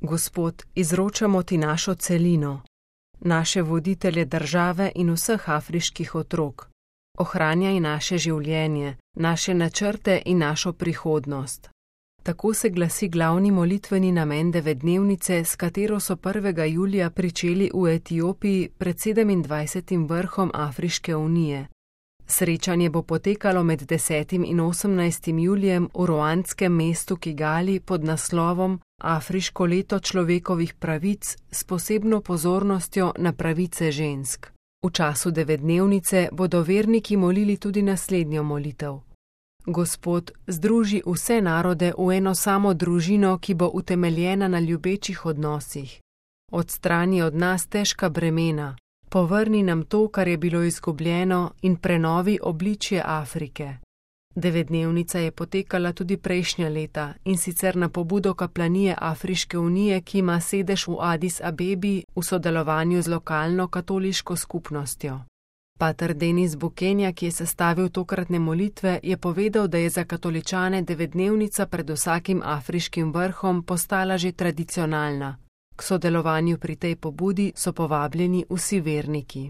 Gospod, izročamo ti našo celino, naše voditelje države in vseh afriških otrok. Ohranjaj naše življenje, naše načrte in našo prihodnost. Tako se glasi glavni molitveni namen 9-dnevnice, s katero so 1. julija pričeli v Etiopiji pred 27. vrhom Afriške unije. Srečanje bo potekalo med 10. in 18. julijem v ruandskem mestu Kigali pod naslovom Afriško leto človekovih pravic s posebno pozornostjo na pravice žensk. V času 9-dnevnice bodo verniki molili tudi naslednjo molitev. Gospod, združi vse narode v eno samo družino, ki bo utemeljena na ljubečih odnosih. Odstrani od nas težka bremena, povrni nam to, kar je bilo izgubljeno, in prenovi obličje Afrike. 9-dnevnica je potekala tudi prejšnja leta, in sicer na pobudo kaplanije Afriške unije, ki ima sedež v Addis Abebi v sodelovanju z lokalno katoliško skupnostjo. Pater Denis Bukenja, ki je sestavil tokratne molitve, je povedal, da je za katoličane 9-dnevnica pred vsakim afriškim vrhom postala že tradicionalna. K sodelovanju pri tej pobudi so povabljeni vsi verniki.